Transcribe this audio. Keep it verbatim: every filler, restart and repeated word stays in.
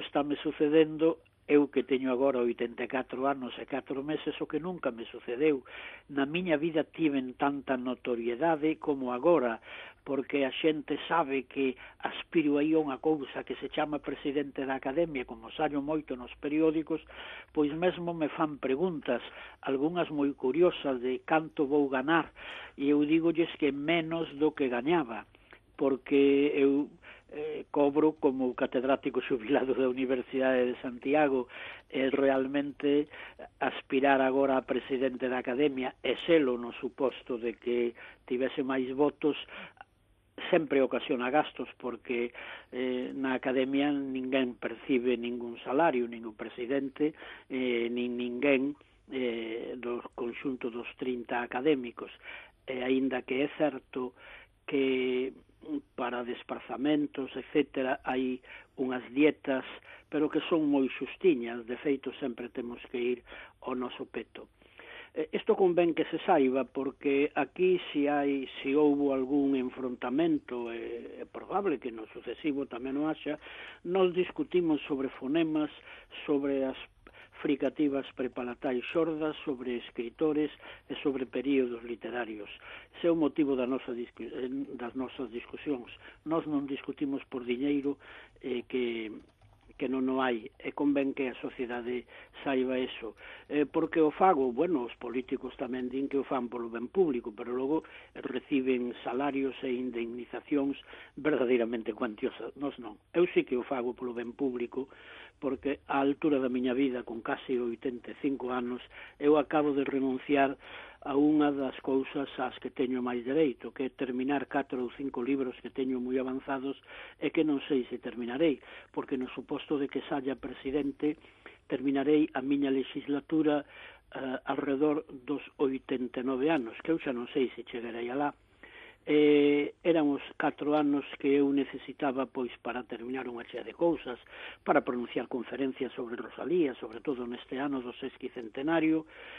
Estáme sucedendo eu que teño agora oitenta e catro anos e catro meses o que nunca me sucedeu. Na miña vida tiven tanta notoriedade como agora, porque a xente sabe que aspiro aí a unha cousa que se chama presidente da Academia, como sallo moito nos periódicos, pois mesmo me fan preguntas, algunhas moi curiosas de canto vou ganar, e eu digolles que menos do que gañaba, porque eu eh, cobro como catedrático xubilado da Universidade de Santiago, e realmente aspirar agora a presidente da Academia e selo no suposto de que tivese máis votos sempre ocasiona gastos, porque eh, na Academia ninguén percibe ningún salario, ningún presidente, eh, nin ninguén eh, do conxunto dos trinta académicos, e aínda que é certo que para desplazamentos, etcétera, hai unhas dietas, pero que son moi xustiñas, de feito sempre temos que ir ao noso peto. Isto convén que se saiba, porque aquí se hai, se houbo algún enfrontamento, é, é probable que no sucesivo tamén o haxa, nos discutimos sobre fonemas, sobre as fricativas prepalatais xordas, sobre escritores e sobre períodos literarios. Ese é o motivo da nosa, das nosas discusións. Nós non discutimos por diñeiro eh, que... que non o hai, e convén que a sociedade saiba eso. Eh, porque o fago, bueno, os políticos tamén din que o fan polo ben público, pero logo reciben salarios e indemnizacións verdadeiramente cuantiosas. Nos non. Eu sí que o fago polo ben público, porque á altura da miña vida, con case oitenta e cinco anos, eu acabo de renunciar a unha das cousas ás que teño máis dereito, que é terminar catro ou cinco libros que teño moi avanzados e que non sei se terminarei, porque no suposto de que saia presidente terminarei a miña legislatura uh, alrededor dos oitenta e nove anos, que eu xa non sei se chegarei alá. Eh, eran os catro anos que eu necesitaba pois para terminar unha chea de cousas, para pronunciar conferencias sobre Rosalía, sobre todo neste ano do sesquicentenario,